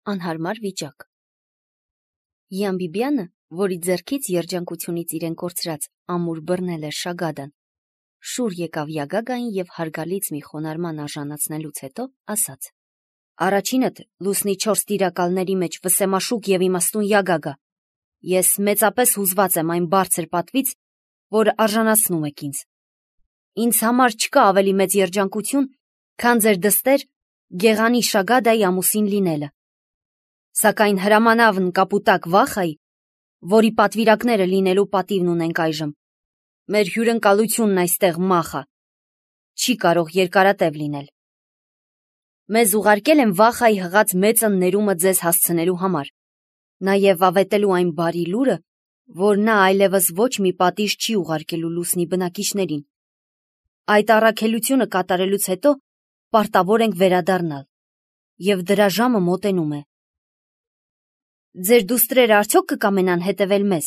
Անհարմար վիճակ։ Յան Բիբյանը, որի ձեռքից երջանկությունից իրեն կորցրած ամուր բռնել էր Շագադան, շուր եկավ Յագագային և հարգալից մի խոնարհման արժանացնելուց հետո ասաց. «Առաջինդ լուսնի 4 տիրակալների մեջ վսեմաշուկ և իմաստուն Յագագա, ես մեծապես հուզված եմ այն բարձր պատվից, որ արժանացնում եք ինձ։ Ինձ համար չկա ավելի մեծ երջանկություն, քան ձեր դստեր Գեղանի Շագադայի ամուսին լինելը։ Սակայն հրամանավն կապուտակ Վախայի, որի պատվիրակները լինելու պատիվն ունենք այժմ, մեր հյուրընկալությունն այստեղ մախա, չի կարող երկարատև լինել։ Մեզ ուղարկել են Վախայի հղած մեծն ներումը ձեզ հասցնելու համար, նաև ավետելու այն բարի լուրը, որ նա այլևս ոչ մի պատիժ չի ուղարկելու լուսնի բնակիչներին։ Այդ առաքելությունը կատարելուց հետո պարտավոր ենք վերադառնալ, և դրա ժամը մոտենում է։ Ձեր դուստրերը արդյոք կկամենան հետևել մեզ,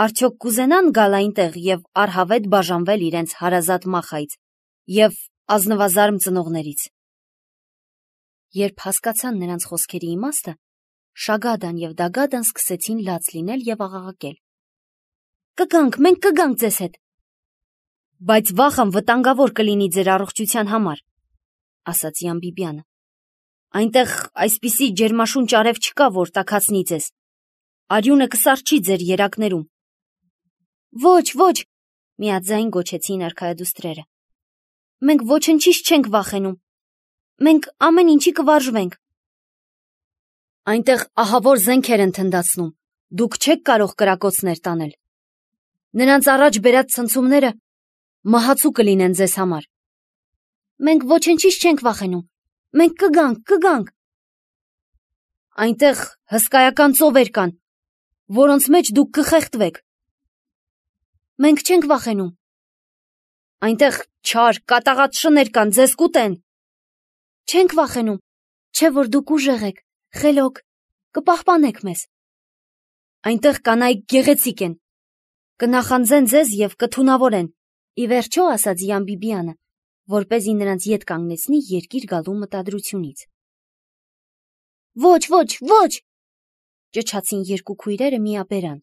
արդյոք կուզենան գալ այնտեղ և առհավետ բաժանվել իրենց հարազատ Մախայից և ազնվազարմ ծնողներից։ Երբ հասկացան նրանց խոսքերի իմաստը, Շագադան և Դագադան սկսեցին լաց լինել և աղաղակել. «Կգանք, մենք կգանք ձեզ հետ»։ Բայց Վախան վտանգավոր կլինի ձեր առողջության համար, ասաց Յան Բիբյանը։ Այնտեղ այսպիսի ջերմաշունչ արև չկա, որ տաքացնի ձեզ։ Արյունը կսառչի ձեր երակներում։ Ոչ, ոչ, միաձայն գոչեցին արքայադուստրերը։ Մենք ոչնչից չենք վախենում։ Մենք ամեն ինչի կվարժվենք։ Այնտեղ ահավոր զենքեր են թնդացնում, դուք չեք կարող կրակոցներ տանել։ Նրանց առաջ բերած ցնցումները մահացու կլինեն ձեզ համար։ Մենք ոչնչից չենք վախենում։ Մենք կգանք։ Այնտեղ հսկայական ծովեր կան, որոնց մեջ դուք կխեղդվեք։ Մենք չենք վախենում։ Այնտեղ չար, կատաղած շներ կան, ձեզ կուտեն։ Չենք վախենում, չէ որ դուք ուժեղ եք, խելոք, կպահպանեք մեզ։ Այնտեղ կանայք գեղեցիկ են, կնախանձեն ձեզ և կթունավորեն, ի վերջո ասաց Յան Բիբյանը, որպեսզի նրանց ետ կանգնեցնի երկիր գալու մտադրությունից։ Ոչ, ճչացին երկու քույրերը միաբերան։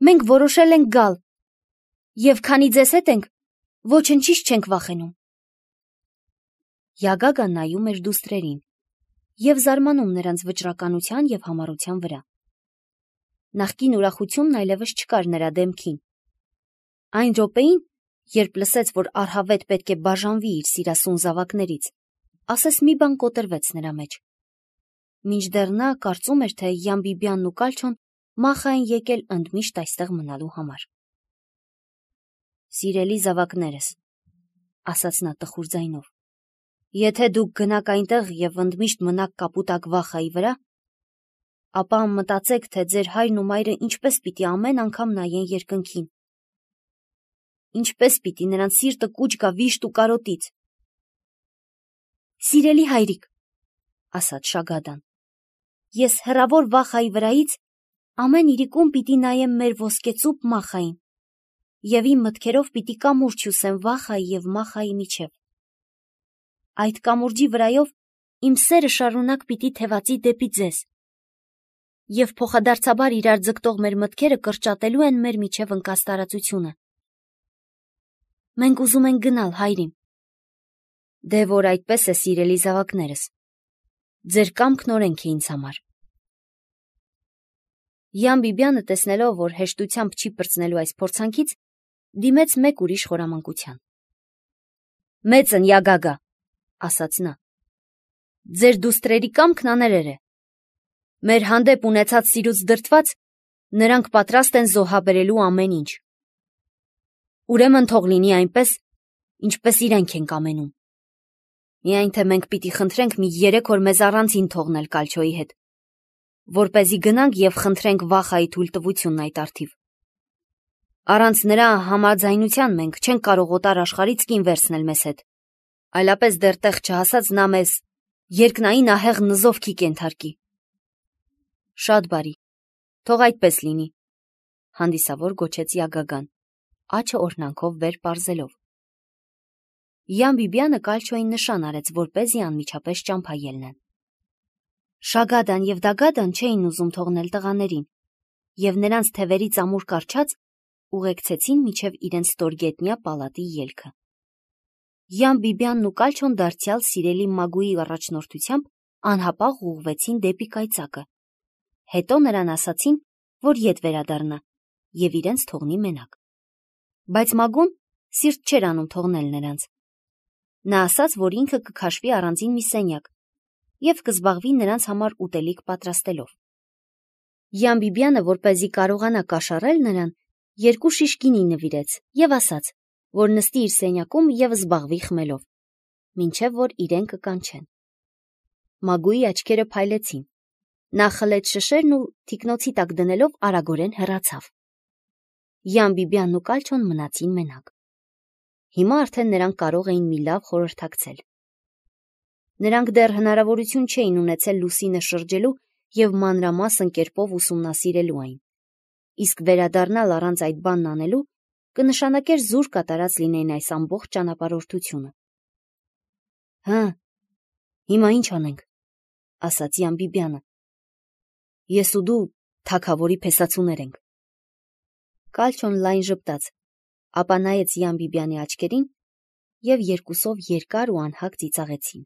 Մենք որոշել ենք գալ, և քանի ձեզ հետ ենք, ոչնչից չենք վախենում։ Յագագան նայում էր դուստրերին և զարմանում նրանց վճռականության և համառության վրա։ Նախկին ուրախությունն այլևս չկար նրա դեմքին։ Այն րոպեին, երբ լսեց, որ առհավետ պետք է բաժանվի իր սիրասուն զավակներից, ասես մի բան կոտրվեց նրա մեջ։ Մինչդեռ նա կարծում էր, թե Յան Բիբյանն ու Կալչոն Մախա են եկել ընդմիշտ այստեղ մնալու համար։ Սիրելի զավակներս, ասաց նա տխուր ձայնով, եթե դուք գնաք այնտեղ և ընդմիշտ մնաք կապուտակ Վախայի վրա, ապա մտածեք, թե ձեր հայրն ու մայրը ինչպես պիտի ամեն անգամ նայեն երկնքին։ Ինչպես պիտի նրանց սիրտը կուչ գա վիշտ ու կարոտից։ Սիրելի հայրիկ, ասաց Շագադան, ես հեռավոր Վախայի վրայից ամեն իրիկում պիտի նայեմ մեր ոսկեծուփ Մախային և իմ մտքերով պիտի կամուրջ հյուսեմ Վախայի և Մախայի միջև։ Այդ կամուրջի վրայով իմ սերը շարունակ պիտի թևածի դեպի ձեզ, և փոխադարձաբար իրար ձգտող մեր մտքերը կրճատելու են մեր միջև ընկած տարածությունը։ Մենք ուզում ենք գնալ, հայրիմ։ Դե որ այդպես է, սիրելի զավակներս, ձեր կամքն օրենք է ինձ համար։ Յան Բիբյանը, տեսնելով, որ հեշտությամբ չի պրծնելու այս փորձանքից, դիմեց մեկ ուրիշ խորամանկության։ Մեծն Յագագա, ասաց նա, ձեր դուստրերի կամքն աներեր է։ Մեր հանդեպ ունեցած սիրուց դրդված, նրանք պատրաստ են զոհաբերելու ամեն ինչ։ Ուրեմն թող լինի այնպես, ինչպես իրենք են կամենում։ Միայն թե մենք պիտի խնդրենք մի 3 օր մեզ առանձին թողնել Կալչոյի հետ, որպեսզի գնանք և խնդրենք Վախայի թույլտվությունն այդ առթիվ։ Առանց նրա համաձայնության մենք չենք կարող օտար աշխարհից կին վերցնել մեզ հետ, այլապես դեռ տեղ չհասած նա մեզ երկնային ահեղ նզովքի կենթարկի։ Շատ բարի, թող այդպես լինի, հանդիսավոր գոչեց Յագագան, աջը օրհնանքով վեր պարզելով։ Յան Բիբյանը Կալչոյին նշան արեց, որպեսզի անմիջապես ճամփա ելնեն։ Շագադան և Դագադան չէին ուզում թողնել տղաներին, և նրանց թևերից ամուր կառչած ուղեկցեցին մինչև իրենց ստորգետնյա պալատի ելքը։ Յան Բիբյանն ու Կալչոն դարձյալ սիրելի Մագուի առաջնորդությամբ անհապաղ ուղղվեցին դեպի կայծակը, հետո նրան ասացին, որ ետ վերադառնա և իրենց թողնի մենակ։ Բայց Մագուն սիրտ չէր անում թողնել նրանց։ Նա ասաց, որ ինքը կքաշվի առանձին մի սենյակ և կզբաղվի նրանց համար ուտելիք պատրաստելով։ Յան Բիբյանը, որպեսզի կարողանա կաշառել նրան, 2 շիշ գինի նվիրեց և ասաց, որ նստի իր սենյակում և զբաղվի խմելով, մինչև որ իրեն կկանչեն։ Մագուի աչքերը փայլեցին։ Նա խլեց շշերն ու թիկնոցի տակ դնելով արագորեն հեռացավ։ Յան Բիբյանն ու Կալչոն մնացին մենակ։ Հիմա արդեն նրանք կարող էին մի լավ խորհրդակցել։ Նրանք դեռ հնարավորություն չէին ունեցել Լուսինը շրջելու և մանրամասն կերպով ուսումնասիրելու այն, իսկ վերադառնալ առանց այդ բանն անելու կնշանակեր զուր կատարած լինեին այս ամբողջ ճանապարհորդությունը։ «Հը, հիմա ինչ անենք», ասաց Յան Բիբյանը։ «Ես ու դու թագավորի փեսացուներ ենք»։ Կալչոն լայն ժպտաց, ապա նայեց Յան Բիբյանի աչքերին, և երկուսով երկար ու անհագ ծիծաղեցին։